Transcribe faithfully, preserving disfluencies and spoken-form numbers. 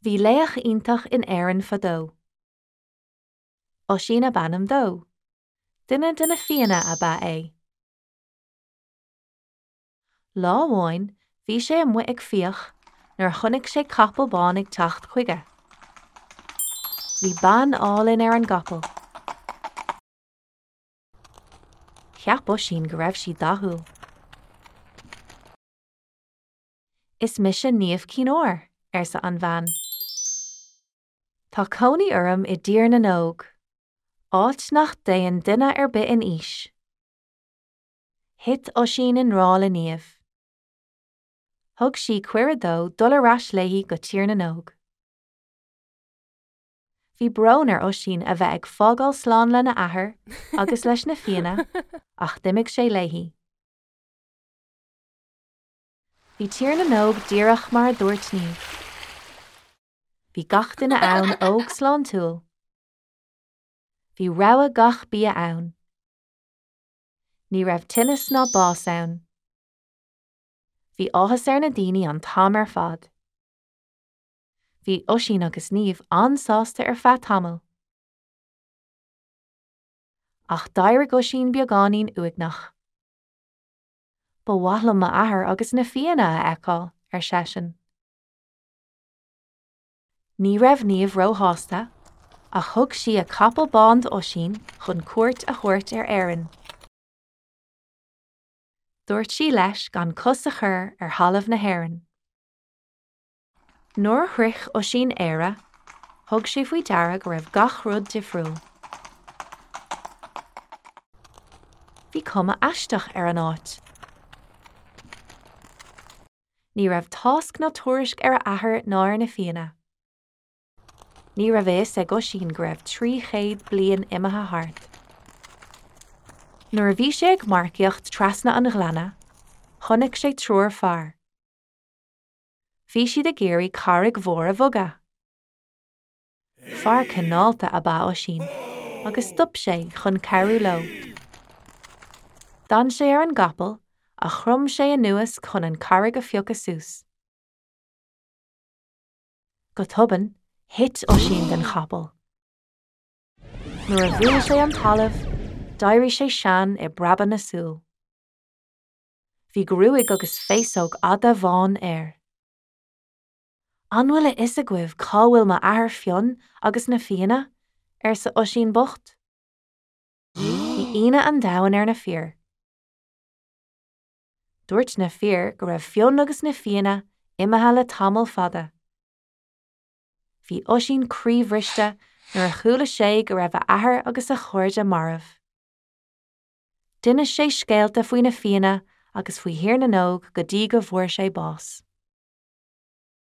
Bhí laoch iontach in Éirinn fadó. Oisín ab ainm dó. Duine de na Fianna ab ea é. Lá amháin bhí sé amuigh ag fiach nuair a chonaic sé capall bán ag teacht chuige. Bhí bean álainn ar an gcapall. Cheap Oisín go raibh sí dathúil. Is mise Niamh Chinn Óir, arsa an bhean. Tá cónaí orm i dTír na nÓg, áit nach dtéann duine ar bith in aois. Thit Oisín i ngrá le Niamh. Thug sí cuireadh dó dul ar ais léi go Tír na nÓg. Bhí brón ar Oisín a bheith ag fágáil slán lena athair agus leis na Fianna ach d'imigh sé léi. Bhí Tír na nÓg díreach mar a dúirt Niamh. Bhí gach duine ann óg sláintiúil. Bhí rogha gach bia ann. Ní raibh tinneas ná bás ann. Bhí áthas ar na daoine an t-am ar fad. Bhí Oisín agus Niamh an-sásta ar feadh tamaill. Ach d'éirigh Oisín beagáinín uaigneach. Ba mhaith liom m'athair agus na Fianna a fheiceáil, ar seisean. Ní raibh Niamh róshásta, ach thug sí a capall bán d'Oisín chun cuairt a thabhairt ar Éirinn. Dúirt sí leis gan cos a chur ar thalamh na hÉireann. Nuair a shroich Oisín Éire, thug sé faoi deara go raibh gach rud difriúil. Bhí cuma aisteach ar an áit. Ní raibh tásc ná tuairisc ar a athair ná ar na Fianna. Ní raibh a fhios ag Oisín go raibh trí chéad bliain imithe thart. Nuair a bhí sé ag marcaíocht trasna an ghleanna, chonaic sé triúr fear. Bhí siad ag iarraidh carraig mhór a bhogadh. Fear cineálta ab ea Oisín, agus stop sé chun cabhrú leo. D'fhan sé ar an gcapall ach chrom sé anuas chun an charraig a phiocadh suas. Go tobann, thit Oisín den chapall. Nuair a bhuail sé an talamh, d'éirigh sé sean i bpreabadh na súl. Bhí gruaig agus féasóg fhada bhán air. An bhfuil a fhios agaibh cá bhfuil m'athair Fionn agus na Fianna? arsa Oisín bocht. Bhí ionadh an domhain ar na fir. Dúirt na fir go raibh Fionn agus na Fianna imithe le tamall fada. Bhí Oisín croíbhriste nuair a chuala sé go raibh a athair agus a chairde marbh. D'inis sé scéalta faoi na Fianna agus faoi Thír na nÓg go dtí go bhfuair sé bás.